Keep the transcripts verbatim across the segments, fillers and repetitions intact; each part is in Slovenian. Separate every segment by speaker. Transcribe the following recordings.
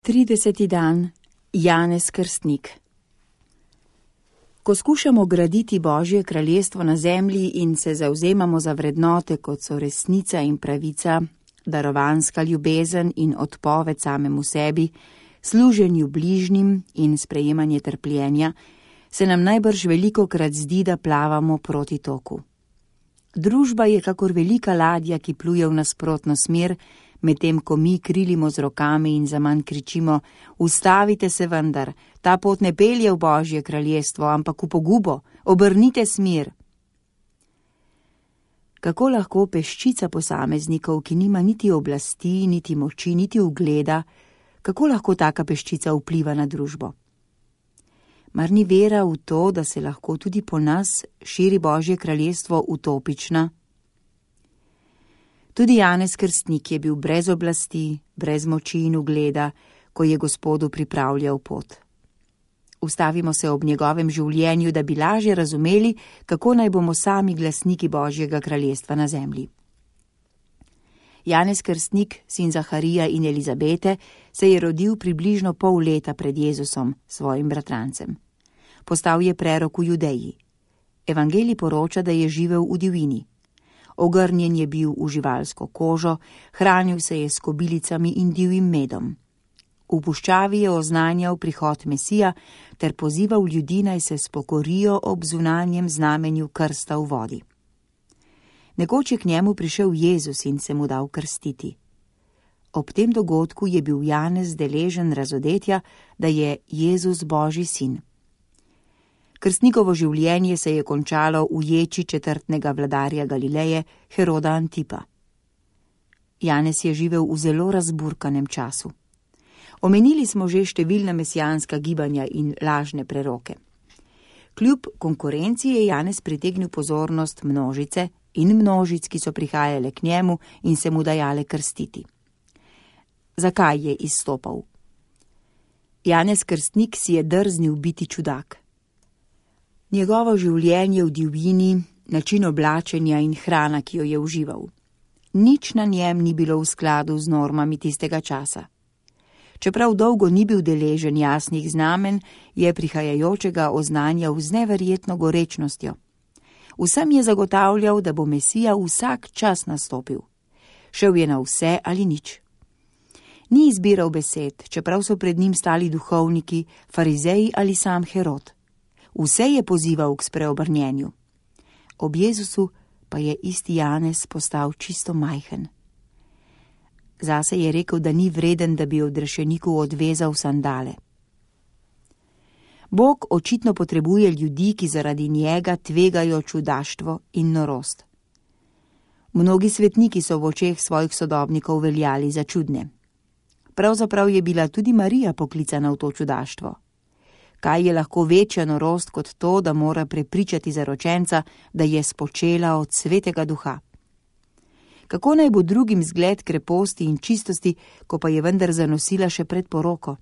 Speaker 1: Trideseti dan. Janez Krstnik. Ko skušamo graditi Božje kraljestvo na zemlji in se zavzemamo za vrednote, kot so resnica in pravica, darovanska ljubezen in odpoved samemu sebi, služenju bližnjim in sprejemanje trpljenja, se nam najbrž velikokrat zdi, da plavamo proti toku. Družba je kakor velika ladja, ki pluje v nasprotno smer, medtem ko mi krilimo z rokami in zaman kričimo: ustavite se vendar, ta pot ne pelje v Božje kraljestvo, ampak v pogubo, obrnite smer. Kako lahko peščica posameznikov, ki nima niti oblasti, niti moči, niti ugleda, kako lahko taka peščica vpliva na družbo? Mar ni vera v to, da se lahko tudi po nas širi Božje kraljestvo utopična? Tudi Janez Krstnik je bil brez oblasti, brez moči in ugleda, ko je Gospodu pripravljal pot. Ustavimo se ob njegovem življenju, da bi lažje razumeli, kako naj bomo sami glasniki Božjega kraljestva na zemlji. Janez Krstnik, sin Zaharija in Elizabete, se je rodil približno pol leta pred Jezusom, svojim bratrancem. Postal je prerok v Judeji. Evangelij poroča, da je živel v divjini. Ogrnjen je bil v živalsko kožo, hranil se je s kobilicami in divjim medom. V puščavi je oznanjal prihod Mesija ter pozival ljudi, naj se spokorijo ob zunanjem znamenju krsta v vodi. Nekoč je k njemu prišel Jezus in se mu dal krstiti. Ob tem dogodku je bil Janez deležen razodetja, da je Jezus Božji sin. Krstnikovo življenje se je končalo v ječi četrtnega vladarja Galileje, Heroda Antipa. Janez je živel v zelo razburkanem času. Omenili smo že številna mesijanska gibanja in lažne preroke. Kljub konkurenci je Janez pritegnil pozornost množice in množic, ki so prihajale k njemu in se mu dajale krstiti. Zakaj je izstopal? Janez Krstnik si je drznil biti čudak. Njegovo življenje v divjini, način oblačenja in hrana, ki jo je užival. Nič na njem ni bilo v skladu z normami tistega časa. Čeprav dolgo ni bil deležen jasnih znamen, je prihajajočega oznanjal z neverjetno gorečnostjo. Vsem je zagotavljal, da bo Mesija vsak čas nastopil. Šel je na vse ali nič. Ni izbiral besed, čeprav so pred njim stali duhovniki, farizeji ali sam Herod. Vse je pozival k spreobrnjenju. Ob Jezusu pa je isti Janez postal čisto majhen. Zase je rekel, da ni vreden, da bi odrešeniku odvezal sandale. Bog očitno potrebuje ljudi, ki zaradi njega tvegajo čudaštvo in norost. Mnogi svetniki so v očeh svojih sodobnikov veljali za čudne. Pravzaprav je bila tudi Marija poklicana v to čudaštvo. Kaj je lahko večja norost kot to, da mora prepričati zaročenca, da je spočela od svetega duha? Kako naj bo drugim zgled kreposti in čistosti, ko pa je vendar zanosila še pred poroko?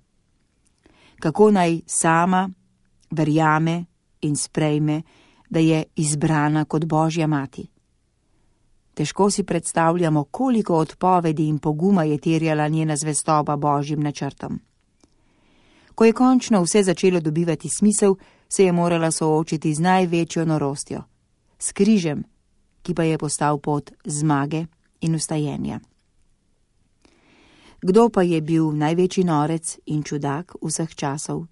Speaker 1: Kako naj sama verjame in sprejme, da je izbrana kot Božja mati? Težko si predstavljamo, koliko odpovedi in poguma je terjala njena zvestoba Božjim načrtom. Ko je končno vse začelo dobivati smisel, se je morala soočiti z največjo norostjo, s križem, ki pa je postal pot zmage in vstajenja. Kdo pa je bil največji norec in čudak vseh časov?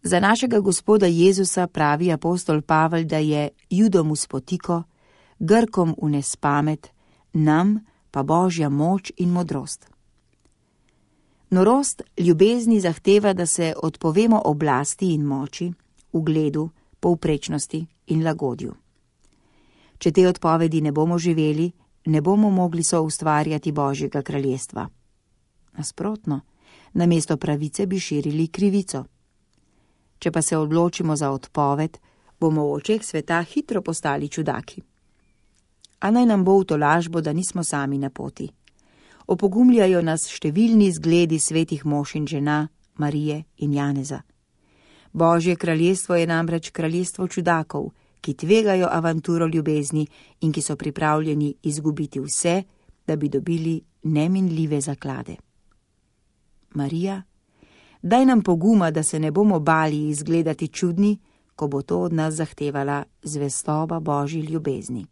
Speaker 1: Za našega Gospoda Jezusa pravi apostol Pavel, da je Judom v spotiko, Grkom v nespamet, nam pa Božja moč in modrost. Norost ljubezni zahteva, da se odpovemo oblasti in moči, ugledu, povprečnosti in lagodju. Če te odpovedi ne bomo živeli, ne bomo mogli soustvarjati Božjega kraljestva. Nasprotno, namesto pravice bi širili krivico. Če pa se odločimo za odpoved, bomo v očeh sveta hitro postali čudaki. A naj nam bo v tolažbo, da nismo sami na poti. Opogumljajo nas številni zgledi svetih mož in žena, Marije in Janeza. Božje kraljestvo je namreč kraljestvo čudakov, ki tvegajo avanturo ljubezni in ki so pripravljeni izgubiti vse, da bi dobili neminljive zaklade. Marija, daj nam poguma, da se ne bomo bali izgledati čudni, ko bo to od nas zahtevala zvestoba Božji ljubezni.